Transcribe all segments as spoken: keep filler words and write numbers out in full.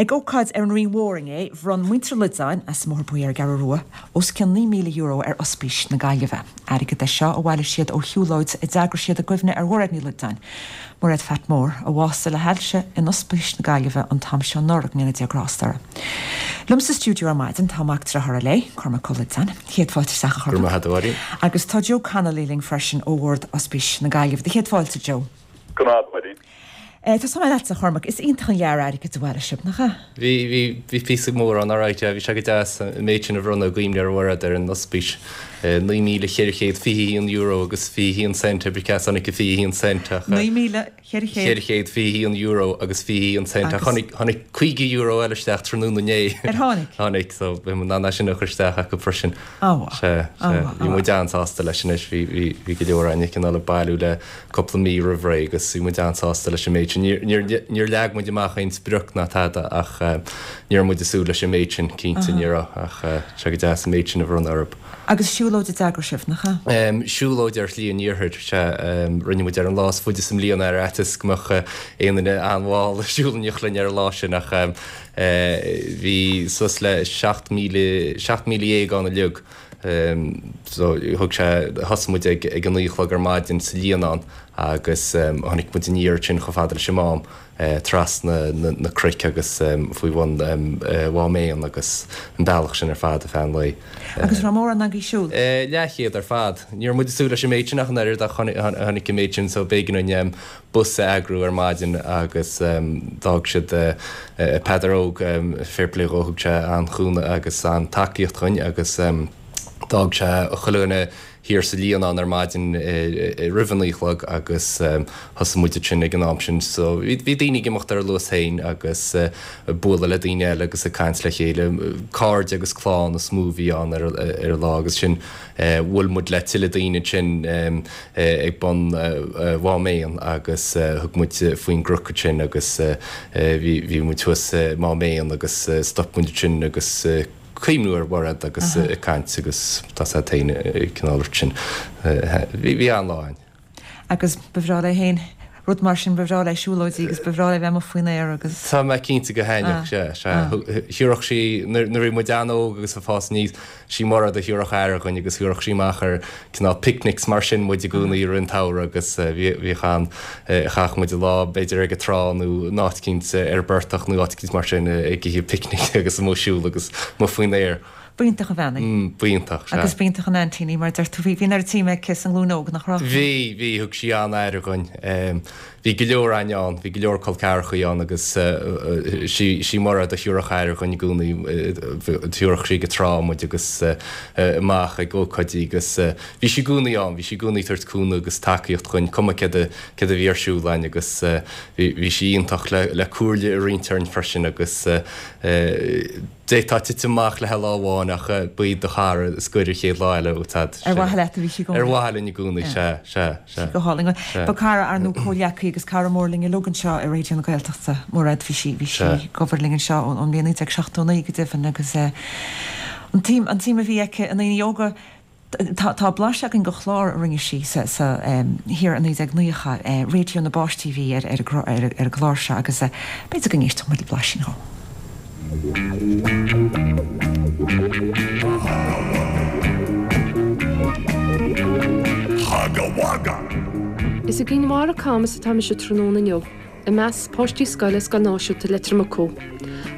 Ag ócáid ar an Rinn Mhór inné, bhronn muintir Loideáin as an mBóthar Buí ar an gCeathrú Rua os cionn naoi míle euro ar Ospís na Gaillimhe. Airgead é seo a bhailigh siad ó shiúlóid a d'eagraigh siad i gcuimhne ar Mhairéad Ní Loideáin, Mairéad Phat Mór, a bhásaigh le hailse in Ospís na Gaillimhe an t-am seo anuraidh, go ndéana Dia grásta uirthi. Liom sa stiúideo ar maidin tá mac dearthára léi, Cormac Ó Loideáin. Céad fáilte isteach a Chormaic. Agus tá Joe Connolly linn freisin ó Bhord Ospís na Gaillimhe. Céad fáilte Joe. Go raibh maith Tá mé leatsa a Chormaic, is iontach an lear airgid a bhailigh sibh, nach ea? Bhí bhí bhí píosa mór ann alright, yeah, bhí sé go deas an méid sin a bhronnadh i gcuimhne ar Mhairéad ar an ospís. Naoi míle ceithre chéad fiche haon euro agus fiche haon cent, pé cá as a tháinig an fiche haon cent ach. Naoi míle ceithre chéad. Ceithre chéad fiche haon euro agus fiche haon cent ach tháinig tháinig caoga euro eile isteach tráthnóna inné. Ar tháinig? Tháinig, so bhí muid in ann é sin a chur isteach acu freisin. Á mhaith. Sea, sea. Bhí muid an-sásta leis anois, bhí bhí bhí go leor againn cineál ag bailiú le cúpla mí roimh ré agus bhí muid an-sásta leis an méid sin. Níor leag muid amach aon sprioc ná tada ach ní raibh muid ag súil leis an méid sin, cinnte ní raibh ach sé go deas an méid sin a bhronnadh orthu. Agus siúlóid a d'eagraigh sibh, nach ea? Siúlóid ar Shlí an Iarthair, sea. Rinne muid ar an lá is faide sa mbliain ar fhaitíos go mbeadh aon duine an-mhall ag siúl in éineacht linn ar an lá sin ach bhí suas le seacht míle, seacht míle dhéag ann uilig. So thug sé, thosaigh muid ag ag a naoi a chlog ar maidin sa Líonán agus tháinig muid aniar ansin chomh fada leis an Mám trasna na cnoic agus faoi bhun Mhám Éan agus an bealach sin ar fad ar feadh an lae. Agus raibh mórán agaibh ag siúl? Leathchéad ar fad. Ní raibh muid ag súil leis an méid sin ach an oiread ach tháinig an méid sin so b'éigean dúinn bus a eagrú ar maidin agus d'fhág siad Peadar Óg, fair play dhó, thug sé an-chúnamh agus an-tacaíocht dhuinn agus d'fhág sé chuile dhuine thiar sa Líonán ar maidin roimh a naoi a chlog agus thosaigh muid ansin ag an am sin. So bhí daoine ag imeacht ar a luas féin agus ag bualadh le daoine eile agus ag caint le chéile. Cairde agus clann is mó a bhí ann ar an lá agus sin bhuail muid le tuilleadh daoine ansin ag bun Mhám Éan agus thug muid faoin gcnoc ansin agus bhí bhí muid thuas i Mám Éan agus stop muid ansin agus cuimhniú ar Mhairéad agus ag caint agus tá sé féin cineál sin. Bhí an-lá againn. Agus ba bhreá léi féin rud mar sin, ba bhreá léi siúlóidí agus ba bhreá léi bheith amuigh faoin aer agus. Tá mé cinnte go thaitneodh sé, sea. Thabharfadh sí, nuair a bhí muid an-óg agus ag fás aníos, sí Mairéad a thabharfadh aire dhuinn agus thabharfadh sí amach ar cineál picnics mar sin muid i gcónaí i rith an tsamhraidh agus bhíodh an, chaitheadh muid an lá b'fhéidir ag an trá nó in áit eicínt ar an bportach nó áit eicínt mar sin ag ithe picnic agus amuigh ag siúl agus amuigh faoin aer. B'iontach an bhean í. Mm, b'iontach, sea. Agus b'iontach an aintín í, mar a deir tú. Bhí, bhí an oiread suime aici sa nglúin óg, nach raibh? Bhí, bhí, thug sí an-aire dhuinn. Bhí go leor againn ann, bhí go leor col ceathrachaí ann agus sí, sí Mairéad a thabharfadh aire dhuinn i gcónaí, thabharfadh sí ag an trá muid agus amach ag ócáidí agus bhí sí i gcónaí ann, bhí sí i gcónaí ag tabhairt cúnamh agus tacaíocht dhuinn, cuma céard a, céard a bhí ar siúl againn agus bhí, bhí sí iontach le, le comhairle a roinnt orainn freisin agus D'fhéadfá titim amach léi lá amháin ach ba í do chara is gaire an chéad lá eile, úsáid. Ar mhaithe leat a bhí sí i gcónaí. Ar mhaithe linn i gcónaí, sea, sea, sea. Go hálainn. Ba cara ar ndóigh comhghleacaí agus cara mór linn uilig anseo i Raidió na Gaeltachta, Mairéad. Bhí sí, bhí sí ag obair linn anseo ón mbliain naoi déag seachtó naoi go deimhin agus an tsuim, an tsuim a bhí aici i ndaoine óga, Tá tá blaiseadh againn de chlár a rinne sí sa sa thiar i naoi déag naocha, Raidió na bPáistí a bhí ar ar ar an gclár seo agus b'fhéidir go n-éistfeadh muid le blaisín dhó. Is i gCinn Mhara Camus atá mise tráthnóna inniu. I measc páistí scoile Scoil Náisiúnta Leitir Mucú.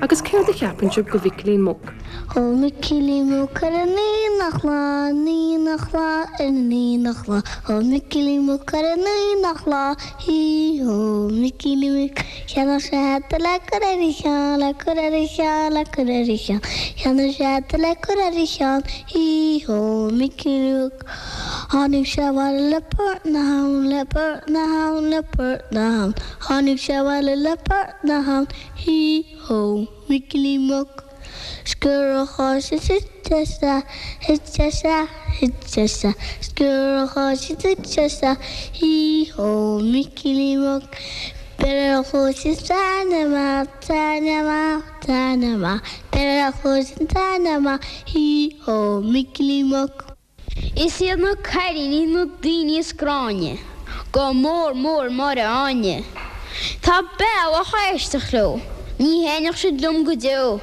Agus céard a cheapann sibh go Mhicilín Muc? Ó Mhicilín Muc ar an aonach lá, an aonach lá, ar an aonach lá, Ó Mhicilín Muc ar an aonach lá, hí hó, Micilín Muc, Cheannaigh sé hata le cur ar a cheann, le cur ar a cheann, le cur ar a cheann, Cheannaigh sé hata le cur ar a cheann, hí hó, Micilín Muc. Tháinig sé abhaile le port na habhann, le port na habhann, le port na habhann, Tháinig sé abhaile le port na habhann, hí hó, Micilín Muc. Sciorr an cháis is thit sé isteach, thit sé isteach, thit sé isteach, Sciorr an cháis is thit sé isteach, hí hó, Micilín Muc. Beir ar a chluais an tairne amach, tairne amach, tairne amach, Beir ar a chluais an tairne amach, hí hó, Micilín Muc. Is iad na cailíní na daoine is gráinne, go mór mór Máire Áine. Tá bealach aisteach leo, Ní thaitneodh siad liom go deo.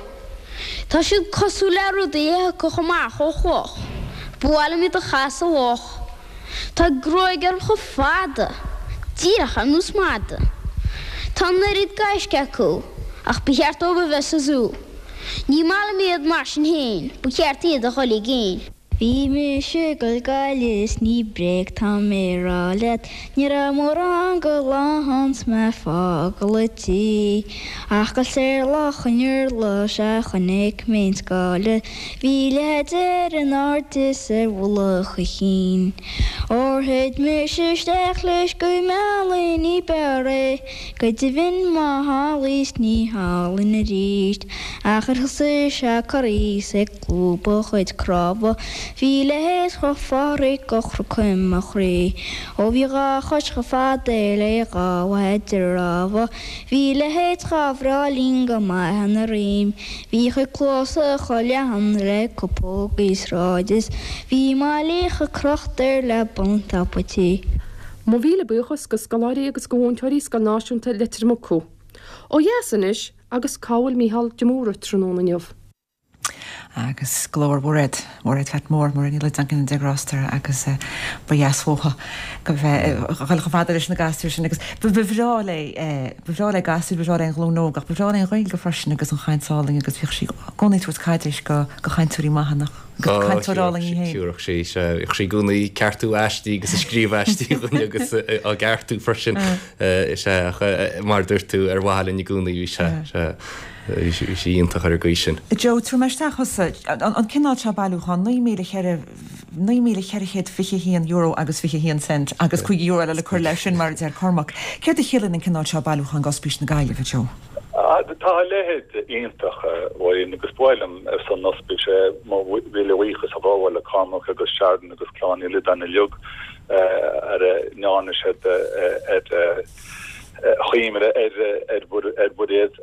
Tá siad cosúil le rudaí a thiocfadh amach ó chloch. Ba mhaith liom iad a chaitheamh sa loch. Tá gruaig orthu chomh fada, díreach ar nós mada. Tá an oiread gaisce acu, ach ba cheart dóibh a bheith sa zú. Ní maith liom iad mar sin féin, ba cheart iad a dhul i gcéin. Bhí mise ag dul Gaillimh is ní bréag tá mé a rá leat, ní raibh mórán go lá ann 's mé ag fágáil an tí. Ach ag goil soir Loch an Iarla sea chonaic mé an scáile, bhí a leithéid air in airde is ar mhullach a chinn. Óir thit mise isteach leis go mbealaí ní b'fhearr é, go deimhin má tharlaigh 's ní tharlaíonn arís, ach ar thosaigh sé ag corraí 's ag lúbadh a chuid cnámha, bhí a leithéid chomh Phádraig go chroith mo chroí. Ó bhí dhá chois chomh fada le dhá mhaide rámha, bhí a leithéid chomh breá linn go maith ina rím, bhí a chuid cluasa chomh leathan le cupógaí sráide is bhí malaí chomh crochta air le bun tapa tí. Mo mhíle buíochas go scoláirí agus go mhúinteoirí Scoil Náisiúnta Leitir Mucú. Ó dheas anois agus cá bhfuil Mícheál de Mórdha tráthnóna inniu. agus glór Mhairéad, Mairéad Phat Mór, Mairéad Ní Loideáin de Gráster agus ba dheas uaithi go bheith dhul chomh fada leis na gasúir sin agus ba bhreá léi ba bhreá léi gasúir, ba bhreá léi an ghlúin óg ach ba bhreá léi an Ghaeilge freisin agus an chaint álainn agus bhíodh sí i gcónaí ag tabhairt caidéis go go chainteoirí maithe nach go cainteoir álainn í féin. Thiúrfadh sí sé bhíodh sí i gcónaí ag ceartú aistí agus ag scríobh aistí dhuine agus á gceartú freisin is ea ach mar a dúirt tú ar mhaithe linn i gcónaí bhí sé sé bhí sí iontach ar an gcaoi sin. Joe, tabhair mé isteach thusa, an cineál seo bailiúchán, naoi míle cheithre, naoi míle cheithre chéad fiche haon euro agus fiche haon cent agus cúig euro eile le cur leis sin mar a deir Cormac. Céard a chiallaíonn an cineál seo bailiúchán d'Ospís na Gaillimhe, Joe? Tá a leithéid iontach, a Mháirín, agus ba mhaith liom ar son an ospís mo mhíle buíochas a ghabháil le Cormac agus Sharon agus Clann Uí Loideáin uilig ar a ndearna siad ar chuimhne ar ar Mhairéad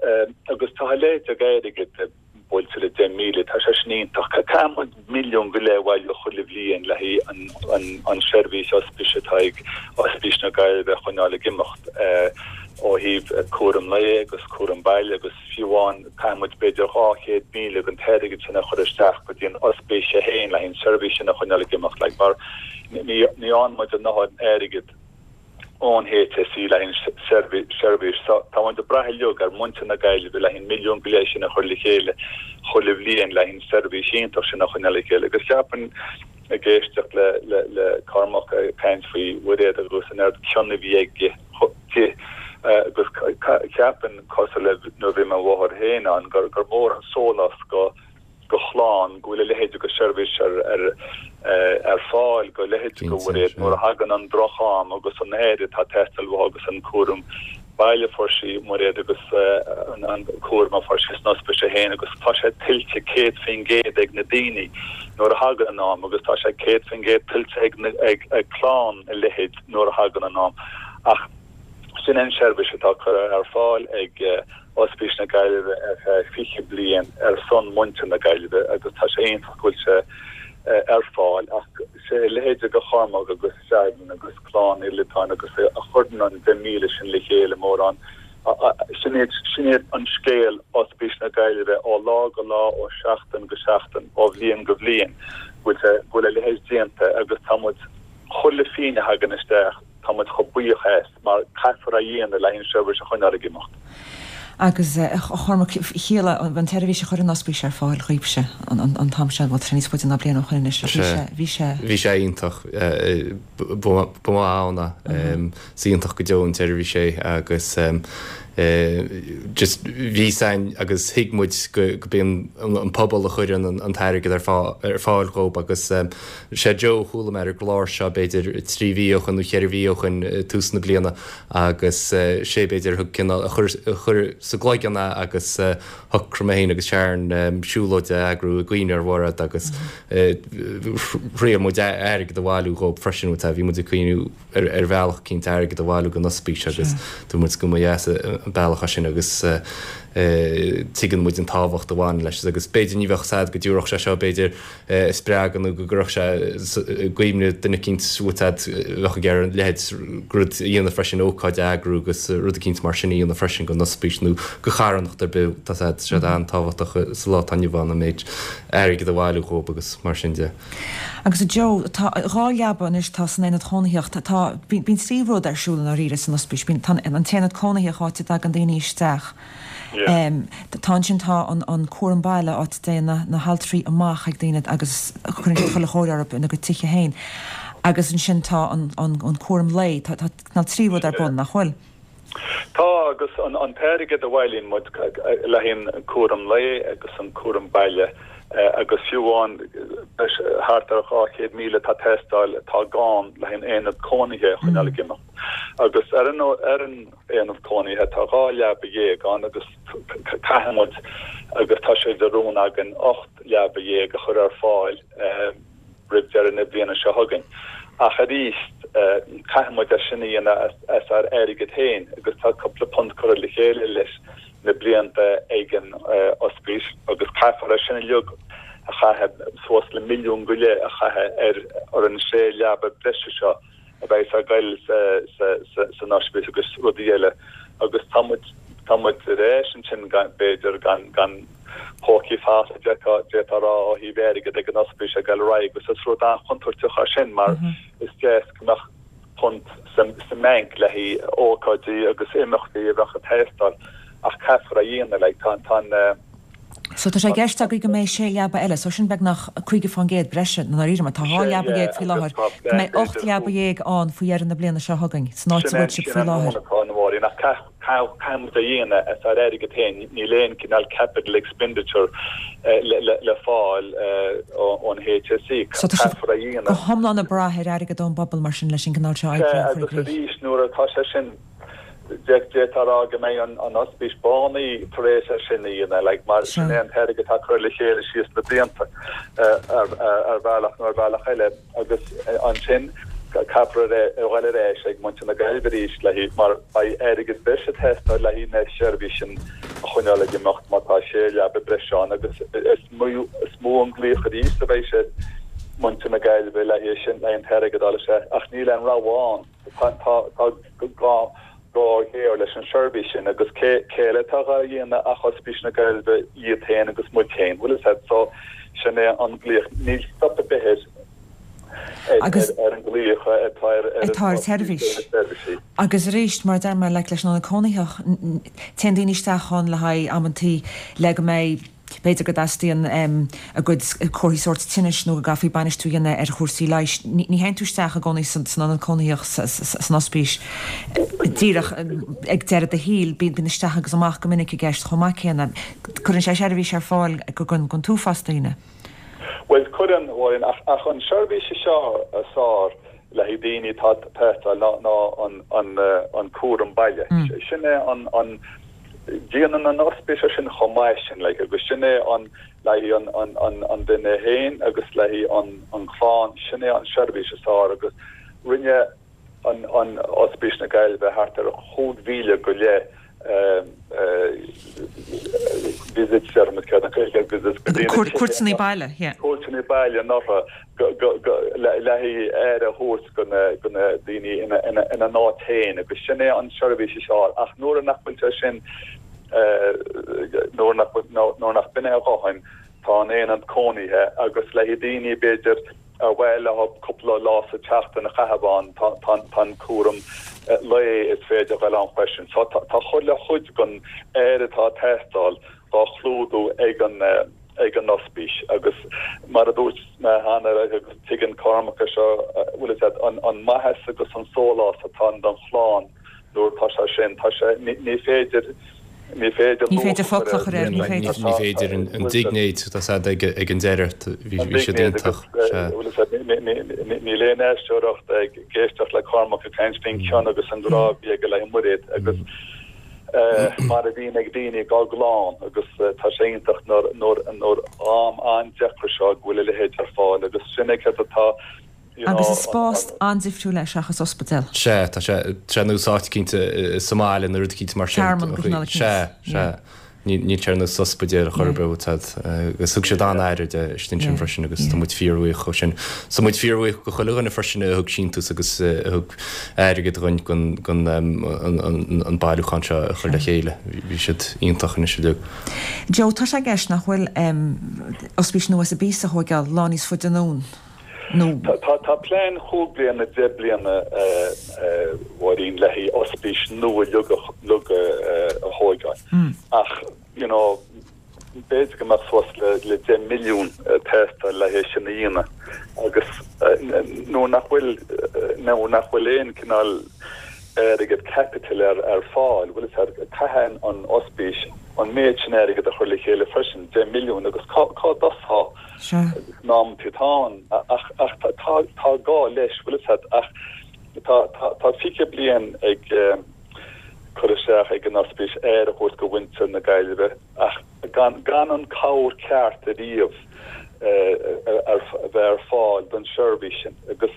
agus tá a leithéid airgead buailte le deich míle, tá sé sin iontach. Caithfidh muid milliún go leith a bhailiú chuile bhliain le haghaidh an seirbhís ospís atá ag Ospís na Gaillimhe a choinneáil ag imeacht ó thaobh cúram lae agus cúram baile agus fiú amháin caithfidh muid b'fhéidir dhá chéad míle den t-airgead sin a chur isteach go dtí an ospís é féin le haghaidh an seirbhís sin a choinneáil ag imeacht like mar ní ní fhaigheann muid a ndóthain airgead ón HSE le haghaidh an seirbhís. Tá muid ag brath uilig ar mhuintir na Gaillimhe le haghaidh an milliún go leith sin a chur le chéile chuile bhliain le haghaidh an seirbhís iontach sin a choinneáil le chéile. Agus ceapaim ag éisteacht le le le Cormac ag caint faoi Mhairéad agus an oiread cion a bhí aige di agus ceapaim cosúil le nuair a bhí mo mháthair féin ann gur gur mór an sólás go go chlann go bhfuil a leithéid de sheirbhís ar ar ar fáil go leithéid de Mhairéad nuair a thagann an droch-am agus an aire atá ag teastáil uaithi agus an cúram baile a fuair sí Mairéad agus an cúram a fuair sí san ospís é féin agus tá sé tuillte céad faoin gcéad ag na daoine nuair a thagann an am agus tá sé céad faoin gcéad tuillte ag ag ag clann a leithéid nuair a thagann an am ach sin an seirbhís atá curtha ar fáil ag Ospís na Gaillimhe ar feadh fiche bliain ar son muintir na Gaillimhe agus tá sé iontach go bhfuil sé ar fáil ach sé a leithéid de Chormac agus Sharon agus Clann Uí Loideáin agus a chuireann an deich míle sin le chéile mórán sin iad sin iad an scéal Ospís na Gaillimhe ó lá go lá ó sheachtain go seachtain ó bhliain go bhliain go bhfuil sé go bhfuil a leithéid déanta agus tá muid chuile phingin a thagann isteach tá muid chomh buíoch as mar caithfear a dhéanamh le an seirbhís a choinneáil ag imeacht. Agus a Chormaic, chiallaigh an tseirbhís a chuir an ospís ar fáil dhaoibhse an t-am seo, bhuel, tá sé níos faide ná bliain ó shoin anois, ach bhí sé, bhí sé. Bhí sé iontach, ba mhaith ann é. Is iontach go deo an tseirbhís é agus just bhí san agus thuig muid go go b'é an pobal a chuireann an t-airgead ar ar fáil dhób agus sé Joe a chuala mé ar an gclár seo b'fhéidir trí mhí ó shoin nó cheithre mhí ó shoin tús na bliana agus sé b'fhéidir a thug cineál a chuir a chuir sa gcloigeann é agus shocraigh mé féin agus Sharon siúlóid a eagrú i gcuimhne ar Mhairéad agus thriail muid airgead a bhailiú dhób freisin bhí muid ag cuimhniú ar ar bhealach cinnte airgead a bhailiú don ospís agus dúirt muid go mba dheas an bealach é sin agus Tuigeann muid an tábhacht a bhaineann leis agus b'fhéidir ní bheadh sad go dtabharfadh sé seo b'fhéidir spreagadh nó go gcuirfeadh sé i gcuimhne duine eicínt bhfuil bheadh ag iarraidh a leithéid rud a dhéanamh freisin ócáid a eagrú agus rud eicínt mar sin a dhéanamh freisin don ospís nó do charthanacht ar bith tá sad sé an-tábhachtach sa lá atá inniu ann an méid airgead a bhailiú dhóibh agus mar sin de. Agus a Joe, tá dhá leaba anois tá san aonad cónaitheach, tá bíonn trí rud ar siúl i ndáiríre san ospís, bíonn tá an t-aonad cónaitheach áit a dtagann daoine isteach, tá ansin tá an an cúram baile áit a dtéann na na haltraí amach ag daoine agus cuireann siad chuile chóir orthu ina gcuid tithe féin agus ansin tá an an an cúram lae, tá tá tá trí rud ar bun, nach bhfuil? Tá agus an an t-airgead a bhailíonn muid le haghaidh an cúram lae agus an cúram baile agus fiú amháin thart ar dhá chéad míle atá ag teastáil atá gann le haghaidh an aonad cónaithe a choinneáil ag imeacht. Agus ar an ar an aonad cónaithe tá dhá leaba dhéag ann agus caithfidh muid agus tá sé de rún againn ocht leaba dhéag a chur ar fáil roimh deireadh na bliana seo chugainn. Ach arís caithfidh muid é sin a dhéanamh as ár airgead féin agus tá cúpla punt curtha le chéile leis na blianta ag an ospís agus caithfear é sin uilig a chaitheamh, suas le milliún go leith a chaitheamh ar ar an sé leaba breise seo a bheidh ag goil san ospís agus rudaí eile agus tá muid tá muid ar ais ansin b'fhéidir gan gan pócaí falsa d'fhéadfá a rá ó thaobh airgid ag an ospís ag goil ar aghaidh agus is rud an-chontúirteach é sin mar is deas go mbeadh punt sa mbanc le haghaidh ócáidí agus imeachtaí a bheadh ag teastáil ach caithfear a dhéanamh like tá tá an So tá sé i gceist agaibh go mbeidh sé leaba eile, so sin beagnach caoga faoin gcéad breise i ndáiríre mar tá dhá leaba dhéag faoi láthair, go mbeidh ocht leaba dhéag ann faoi dheireadh na bliana seo chugainn san áit a bhfuil sibh faoi láthair. Sin an atá caithfidh muid a dhéanamh as ár airgead féin, níl aon cineál capital expenditure le fáil ón HSE, So tá sibh caithfear a dhéanamh. go hiomlán ag brath ar airgead ón bpobal mar sin leis an gcineál seo oibre a chur i Agus gcrích. arís nuair atá sé sin D'fhéadfá a rá go mbeidh an ospís bánaithe tar éis é sin a dhéanamh, like, mar sin é an t-airgead atá curtha le chéile síos na blianta ar bhealach nó ar bhealach eile agus ansin caithfear a dhul ar ais ag muintir na Gaillimhe arís le haghaidh, mar beidh airgead breise ag teastáil le haghaidh na seirbhísí sin a choinneáil ag imeacht má tá sé leaba breise ann agus is mó an glaoch arís a bheidh sé muintir na Gaillimhe le haghaidh sin, le haghaidh an t-airgead a fháil isteach ach níl aon rogha ann. Tá gá géar leis an seirbhís sin agus cé eile atá dhá dhéanamh ach Ospís na Gaillimhe iad féin agus muid féin, bhfuil fhios a'd, so sin é an glaoch. Níl stop ar bith air ar an glaoch atá ar atá ar tseirbhís. Agus arís, mar a deir mé, like leis an ionad cónaitheach, téann daoine isteach ann le haghaidh amantaí le go mbeidh B'fhéidir go dteastaíonn a gcuid comharthaí sóirt tinnis nó go gcaithfí bainistiú a dhéanamh ar chúrsaí leighis. Ní théann tú isteach i gcónaí san ionad cónaitheach san ospís díreach ag deireadh do shaoil. Bíonn isteach agus amach go minic i gceist chomh maith céanna. Cuireann sé seirbhís ar fáil don t-uafás daoine. Bhuel, cuireann, ach an seirbhís seo is fearr le haghaidh daoine atá ag teastáil ná an cúram baile. Sin é an Déanann an ospís é sin chomh maith sin like agus sin é an le haghaidh an an an an duine féin agus le haghaidh an an chlann sin é an seirbhís is fearr agus rinne an an Ospís na Gaillimhe thart ar chúig mhíle go leith visits deirimid céard an Ghaeilge ar visits go dtí na tithe Cuairteanna baile yeah. Cuairteanna baile anuraidh go go go le le haghaidh aire a thabhairt go na go na daoine ina ina ina n-áit féin agus sin é an seirbhís is fearr ach nuair nach bhfuil sé sin nuair nach bhfuil nuair nach b'in é a dhóthain tá an aonad cónaithe agus le haghaidh daoine b'fhéidir ar mhaith leo cúpla lá sa tseachtain a chaitheamh ann tá tá tá an cúram lae is féidir a dhul ann freisin so tá tá chuile chuid den aire atá ag teastáil dhá chlúdú ag an ag an ospís agus mar a dúirt mé cheana agus tuigeann Cormac é seo bhfuil fhios a'd an an maitheas agus an sólás atá ann don chlann nuair atá sé sin tá sé ní ní féidir ní féidir Ní féidir focal a chur air, ní féidir. Ní féidir an dingnéid atá siad ag ag an deireadh bhí bhí siad iontach sea. Bhfuil fhios a'd níl aon aisteoireacht ag éisteacht le Cormac ag caint faoin chion agus an grá a bhí aige le Mairéad agus mar a bhíonn ag daoine dá gclann agus tá sé iontach nuair nuair nuair am an-deacair seo go bhfuil a leithéid ar fáil agus sin é céard atá you know Agus is spás an-difriúil é seachas ospidéal. Sea, tá sé sé nós áit eicínt sa mbaile nó rud eicínt mar sin. Tearmann go cineál Sea, sea. Níl sé ar nós ospidéal ar chor ar bith agus thug siad an-aire de istigh ansin freisin agus tá muid fíorbhuíoch dhó sin. Tá muid fíorbhuíoch go chuile dhuine freisin a thug síntiús agus a thug airgead dhuinn chun an bailiúchán seo a chur le chéile. Bhí siad iontach anois uilig. Joe, tá sé i gceist nach bhfuil ospís nua sa bpíosa a thóigeáil lá níos faide anonn nó. Tá plean chúig bliana, deich bliana, a Mháirín, le haghaidh ospís nua uilig a thóigeáil ach you know b'fhéidir go mbeadh suas le deich milliún ag teastáil le haghaidh sin a dhéanamh agus nuair nach bhfuil nuair nach bhfuil aon cineál airgead caipitil ar ar fáil, bhfuil a fhios agat, caithfidh an ospís an méid sin airgead a chur le chéile freisin, deich milliún, agus cá cá dtosfá in amantaí atá ann ach ach tá tá tá gá leis, bhfuil a fhios agat, ach tá tá tá fiche bliain ag cur isteach ag an ospís aire a thabhairt go mhuintir na Gaillimhe ach gan gan an cabhair ceart ariamh a bheith ar fáil don seirbhís sin agus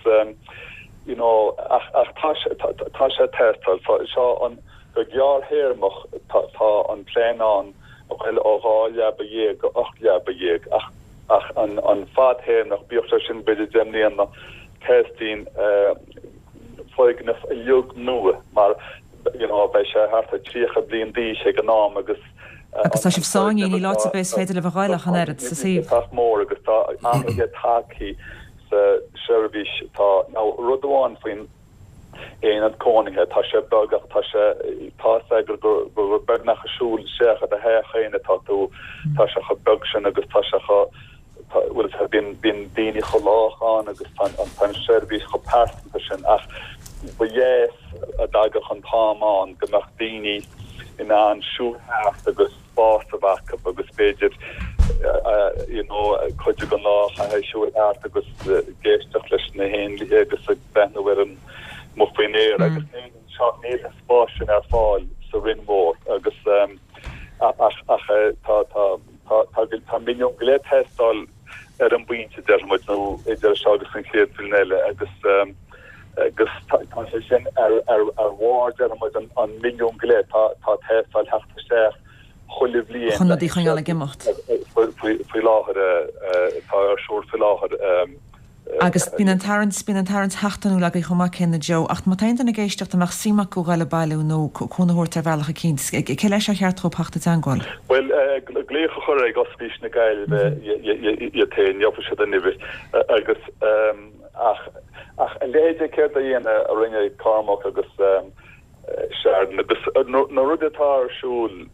you know ach ach tá sé tá sé ag teastáil so seo an go gearrthéarmach tá tá an plean ann a ghoil ó dhá leaba dhéag go ocht leaba dhéag ach ach an an fadthéarmach bíodh sé sin b'fhéidir deich mbliana teastaíonn foirgneamh uilig nua mar you know beidh sé thart ar tríocha bliain d'aois ag an am agus Agus tá sibh sáinnithe, níl áit ar bith is féidir libh a ghoil ach an oiread sa suíomh. Sách mór agus tá athruithe tagtha sa seirbhís tá now rud amháin faoin aonad cónaithe tá sé beag ach tá sé tá a fhios agat gur gur beagnach ag siúl isteach i do theach féin atá tú tá sé chomh beag sin agus tá sé chomh bhfuil a fhios bíonn bíonn daoine chomh lách ann agus tá an tá an seirbhís chomh pearsanta sin ach ba dheas dá dtagadh an t-am ann go mbeadh daoine in ann siúl thart agus spás a bheith acu agus b'fhéidir you know cuid den lá a chaitheamh ag siúl thart agus ag éisteacht leis na héanlaithe agus ag breathnú ar an amuigh faoin aer agus níl seo níl an spás sin ar fáil sa Rinn Mhór agus ach ach tá tá Tá tá milliún go leith ag teastáil ar an bpointe, deir muid, nó idir seo agus an chéad bhliain eile agus agus tá sé sin ar ar ar bharr, deir muid, an an milliún go leith tá tá ag teastáil theacht isteach chuile bhliain Chun rudaí a choinneáil ag imeacht. faoi faoi láthair atá ar siúl faoi láthair. Agus bíonn an tarraingt, bíonn an tarraingt sheachtainiúil agaibh chomh maith céanna Joe, ach má tá aon duine ag éisteacht a mbeadh suim acu dhul ag bailiú nó cúnamh a thabhairt ar bhealach eicínt, cé leis ar cheart dhóibh theacht i dteangmháil? Bhuel, glaoch a chur ag Ospís na Gaillimhe iad féin, gheobhaidh siad an uimhir agus ach ach a leithéid céard a dhéanamh a rinne Cormac agus Sharon agus na rudaí atá ar siúl,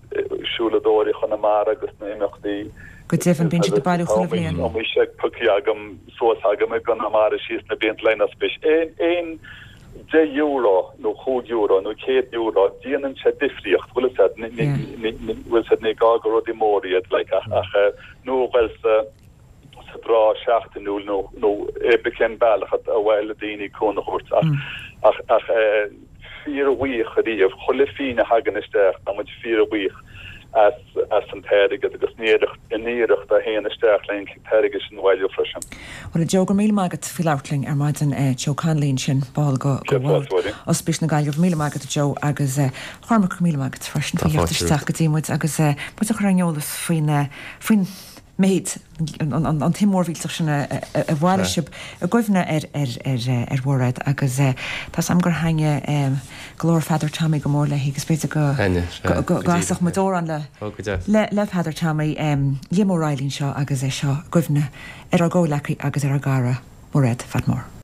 Siúladóirí Chonamara agus na himeachtaí. Go deimhin, bíonn siad ag bailiú chuile bhliain. Tá seic pioctha agam suas agam i gConamara síos na blianta le haghaidh an ospís. Aon aon deich euro nó chúig euro nó céad euro, déanann sé difríocht, bhfuil a fhios agat, bhfuil a fhios agat, ní gá gur rudaí móra iad like ach ach nó a ghoil sa sa dtráth seachtainiúil nó nó pé ar bith cén bealach ar mhaith le daoine cúnamh a thabhairt ach ach ach fíorbhuíoch ariamh chuile phingin a thagann isteach tá muid fíorbhuíoch as as an t-airgead agus an iarracht an iarracht a théann isteach le an t-airgead sin a bhailiú freisin. Bhuel a Joe, go raibh míle maith agat faoi labhairt linn ar maidin. Joe Connolly ansin, ball go go bhord Ospís na Gaillimhe. Míle maith agat a Joe agus a Chormaic, go raibh míle maith agat freisin faoi theacht isteach go dtí muid agus muid a chur ar an eolas faoin faoin méid, an tsuim mhór mhillteach sin a bhailigh sibh i gcuimhne ar ar Mhairéad agus tá 's a'm gur thaitnigh glór Pheadair Tommy go mór léi agus b'fhéidir go gcasfadh muid amhrán le le Peadar Tommy, Liam Ó Raghallaigh anseo agus é seo i gcuimhne ar ár gcomhghleacaí agus ar ár gcara Mairéad Phat Mór.